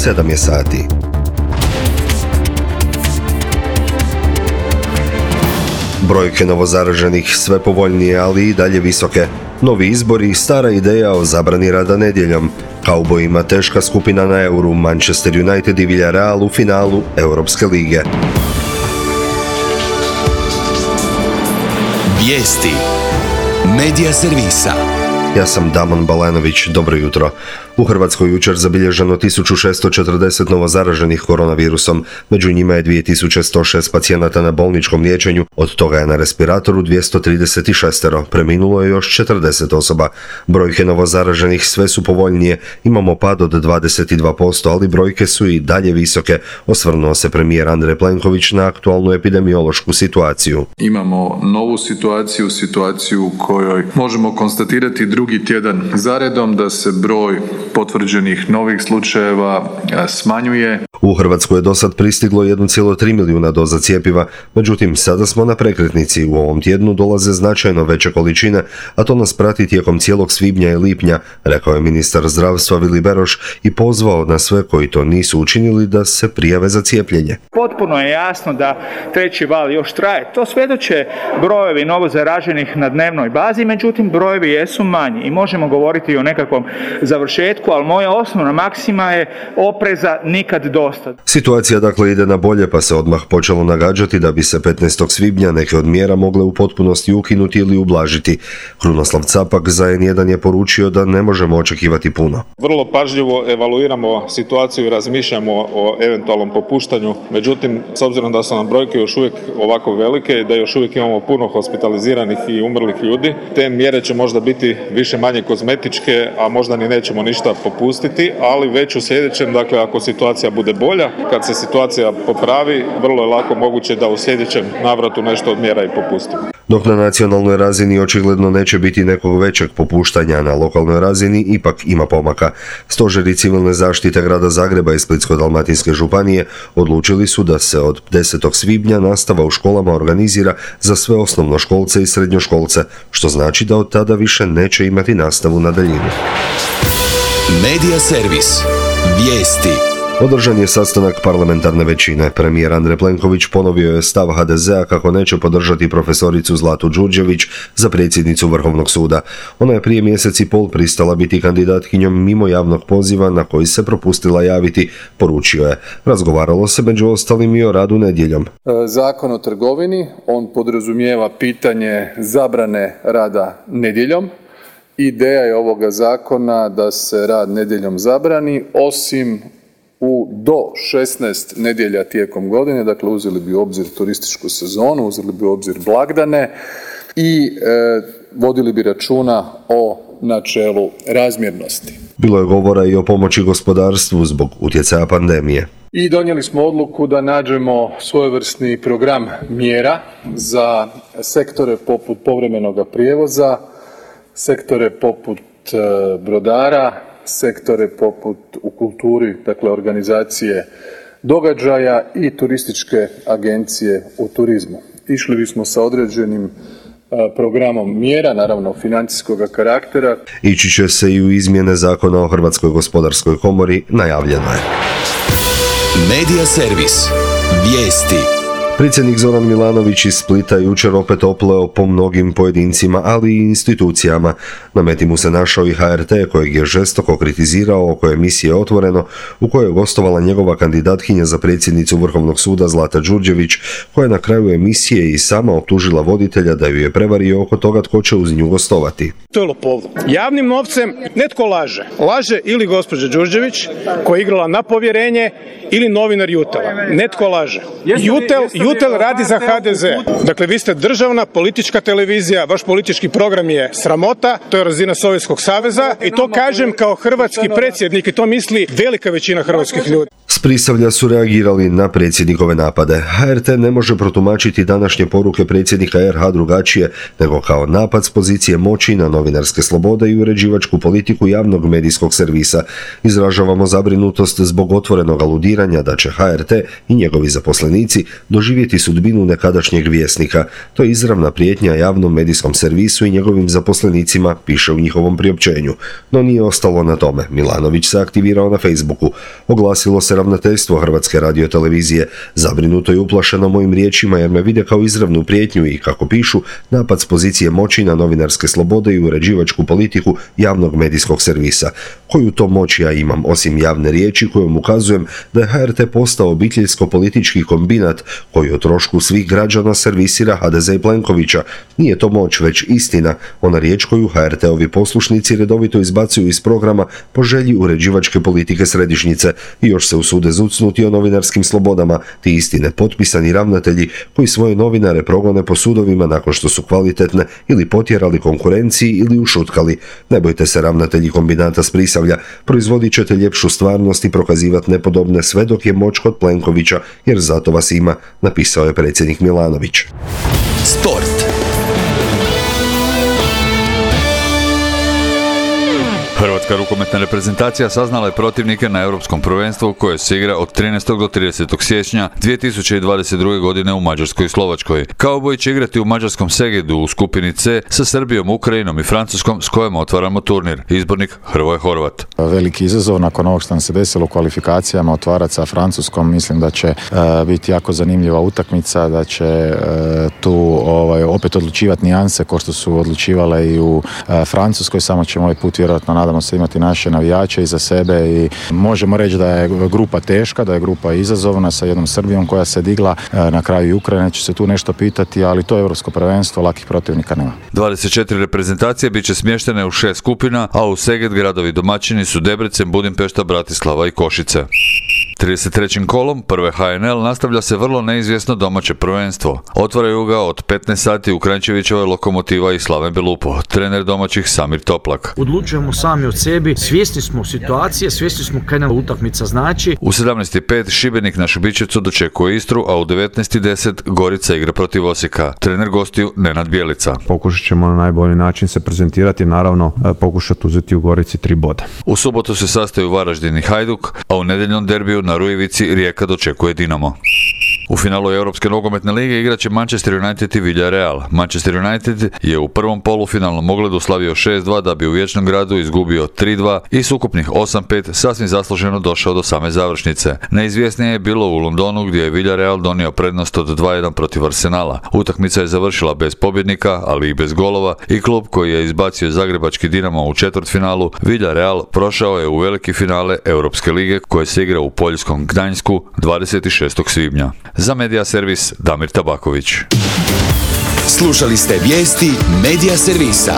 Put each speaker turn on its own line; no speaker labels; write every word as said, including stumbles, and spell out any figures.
sedam je sati. Brojke novozaraženih sve povoljnije, ali i dalje visoke. Novi izbori i stara ideja o zabrani rada nedjeljom. Kaubojima teška skupina na Euru, Manchester United i Villarreal u finalu Europske lige.
Vijesti Medija servisa.
Ja sam Damon Balanović, dobro jutro. U Hrvatskoj jučer zabilježeno tisuću šesto četrdeset novozaraženih koronavirusom, među njima je dvije tisuće sto šest pacijenata na bolničkom liječenju, od toga je na respiratoru dvjesto trideset šest, preminulo je još četrdeset osoba. Brojke novozaraženih sve su povoljnije, imamo pad od dvadeset dva posto, ali brojke su i dalje visoke, osvrnuo se premijer Andrej Plenković na aktualnu epidemiološku situaciju.
Imamo novu situaciju, situaciju u kojoj možemo konstatirati drugi tjedan zaredom da se broj potvrđenih novih slučajeva smanjuje.
U Hrvatsku je dosad pristiglo jedan zarez tri milijuna doza cjepiva, međutim sada smo na prekretnici. U ovom tjednu dolaze značajno veće količine, a to nas prati tijekom cijelog svibnja i lipnja, rekao je ministar zdravstva Vili Beroš i pozvao na sve koji to nisu učinili da se prijave za cijepljenje.
Potpuno je jasno da treći val još traje. To svjedoče brojevi novozaraženih na dnevnoj bazi, međutim brojevi jesu manji i možemo govoriti o nekakvom završetku, ali moja osnovna maksima je opreza nikad dosta.
Situacija dakle ide na bolje, pa se odmah počelo nagađati da bi se petnaestog svibnja neke od mjera mogle u potpunosti ukinuti ili ublažiti. Krunoslav Capak za en jedan je poručio da ne možemo očekivati puno.
Vrlo pažljivo evaluiramo situaciju i razmišljamo o eventualnom popuštanju, međutim, s obzirom da su nam brojke još uvijek ovako velike i da još uvijek imamo puno hospitaliziranih i umrlih ljudi, te mjere će možda biti više manje kozmetičke, a možda ni nećemo ništa popustiti, ali već u sljedećem, dakle, ako situacija bude bolja, kad se situacija popravi, vrlo je lako moguće da u sljedećem navratu nešto od mjera i popustimo.
Dok na nacionalnoj razini očigledno neće biti nekog većeg popuštanja, na lokalnoj razini ipak ima pomaka. Stožeri civilne zaštite grada Zagreba i Splitsko-dalmatinske županije odlučili su da se od desetog svibnja nastava u školama organizira za sve osnovnoškolce i srednjoškolce, što znači da od tada više neće imati nastavu na daljinu.
Medija servis. Vijesti.
Održan je sastanak parlamentarne većine. Premijer Andrej Plenković ponovio je stav ha de zea kako neće podržati profesoricu Zlatu Đurđević za predsjednicu Vrhovnog suda. Ona je prije mjesec i pol pristala biti kandidatkinjom mimo javnog poziva na koji se propustila javiti, poručio je. Razgovaralo se među ostalim i o radu nedjeljom.
Zakon o trgovini, on podrazumijeva pitanje zabrane rada nedjeljom. Ideja je ovoga zakona da se rad nedjeljom zabrani, osim u do šesnaest nedjelja tijekom godine, dakle uzeli bi u obzir turističku sezonu, uzeli bi u obzir blagdane i e, vodili bi računa o načelu razmjernosti.
Bilo je govora i o pomoći gospodarstvu zbog utjecaja pandemije.
I donijeli smo odluku da nađemo svojevrsni program mjera za sektore poput povremenoga prijevoza, sektore poput e, brodara, sektore poput u kulturi, dakle organizacije događaja i turističke agencije u turizmu. Išli bismo sa određenim programom mjera, naravno financijskog karaktera.
Ići će se i u izmjene zakona o Hrvatskoj gospodarskoj komori, najavljeno je.
Medija servis. Vijesti.
Predsjednik Zoran Milanović iz Splita jučer opet opleo po mnogim pojedincima, ali i institucijama. Na meti mu se našao i ha er te, kojeg je žestoko kritizirao oko emisije Otvoreno, u kojoj je gostovala njegova kandidatkinja za predsjednicu Vrhovnog suda Zlata Đurđević, koja je na kraju emisije i sama optužila voditelja da ju je prevario oko toga tko će uz nju gostovati.
To je lopovluk. Javnim novcem netko laže. Laže ili gospođa Đurđević, koja je igrala na povjerenje, ili novinar Jutela. Netko laže. Jutel, Jutel radi za ha de ze. Dakle, vi ste državna politička televizija, vaš politički program je sramota, to je razina Sovjetskog saveza i to kažem kao hrvatski predsjednik i to misli velika većina hrvatskih ljudi.
S Prisavlja su reagirali na predsjednikove napade. ha er te ne može protumačiti današnje poruke predsjednika er ha drugačije nego kao napad s pozicije moći na novinarske slobode i uređivačku politiku javnog medijskog servisa. Izražavamo zabrinutost zbog otvorenog aludiranja da će ha er te i njegovi zaposlenici doživjeti doživjeti sudbinu nekadašnjeg Vjesnika. To je izravna prijetnja javnom medijskom servisu i njegovim zaposlenicima, piše u njihovom priopćenju. No nije ostalo na tome. Milanović se aktivirao na Facebooku. Oglasilo se ravnateljstvo Hrvatske radiotelevizije. Zabrinuto i uplašeno mojim riječima jer me vide kao izravnu prijetnju i, kako pišu, napad s pozicije moći na novinarske slobode i uređivačku politiku javnog medijskog servisa. Koju to moć ja imam, osim javne riječi kojom ukazujem da je H R T postao obiteljsko-politički kombinat koji o trošku svih građana servisira H D Z i Plenkovića. Nije to moć, već istina, ona riječ koju H R T-ovi poslušnici redovito izbacuju iz programa po želji uređivačke politike središnjice i još se usude zucnuti o novinarskim slobodama, ti istine potpisani ravnatelji koji svoje novinare progone po sudovima nakon što su kvalitetne ili potjerali konkurenciji ili ušutkali. Ne bojte se, ravnatelji kombinata s Prisavlja, proizvodit ćete ljepšu stvarnost i prokazivati nepodobne sve dok je moć kod Plenkovića, jer zato vas ima, napisao je predsjednik Milanović.
Sport.
Hrvatska rukometna reprezentacija saznala je protivnike na Europskom prvenstvu koje se igra od trinaestog do tridesetog siječnja dvije tisuće dvadeset druge. godine u Mađarskoj i Slovačkoj. Kauboji će igrati u mađarskom Segedu u skupini C sa Srbijom, Ukrajinom i Francuskom s kojom otvaramo turnir. Izbornik Hrvoje Horvat.
Veliki izazov nakon ovog što nam se desilo u kvalifikacijama otvarati sa Francuskom. Mislim da će uh, biti jako zanimljiva utakmica, da će uh, tu ovaj, opet odlučivati nijanse kao što su odlučivale i u uh, Francuskoj, samo ćemo ovaj put vjerojatno nadamo se imati naše navijače iza sebe i možemo reći da je grupa teška, da je grupa izazovna sa jednom Srbijom koja se digla, na kraju i Ukrajina će se tu nešto pitati, ali to je europsko prvenstvo, lakih protivnika nema.
dvadeset četiri reprezentacije bit će smještene u šest skupina, a u Seged gradovi domaćini su Debrecen, Budimpešta, Bratislava i Košice. trideset trećim kolom prve H N L nastavlja se vrlo neizvjesno domaće prvenstvo. Otvaraju ga od petnaest sati u Kranjčevićevoj Lokomotiva i Slaven Belupo, trener domaćih Samir Toplak.
Odlučujemo sami od sebi, svjesni smo situacije, svjesni smo kaj nam utakmica znači.
U sedamnaest i pet Šibenik na Šubićevcu dočekuje Istru, a u devetnaest i deset Gorica igra protiv Osijeka. Trener gostiju Nenad Bjelica.
Pokušat ćemo na najbolji način se prezentirati, naravno pokušati uzeti u Gorici tri boda.
U subotu se sastaju Varaždin i Hajduk, a u nedjeljnom derbiju na Rujevici Rijeka dočekuje Dinamo. U finalu Europske nogometne lige igraće Manchester United i Villarreal. Manchester United je u prvom polufinalnom ogledu slavio šest dva da bi u Vječnom gradu izgubio tri dva i s ukupnih osam pet sasvim zasluženo došao do same završnice. Neizvjesnije je bilo u Londonu gdje je Villarreal donio prednost od dva jedan protiv Arsenala. Utakmica je završila bez pobjednika, ali i bez golova i klub koji je izbacio zagrebački Dinamo u četvrtfinalu, Villarreal, prošao je u veliki finale Europske lige koje se igra u poljskom Gdańsku dvadeset šestog svibnja. Za Medija servis Damir Tabaković.
Slušali ste vijesti Medija servisa.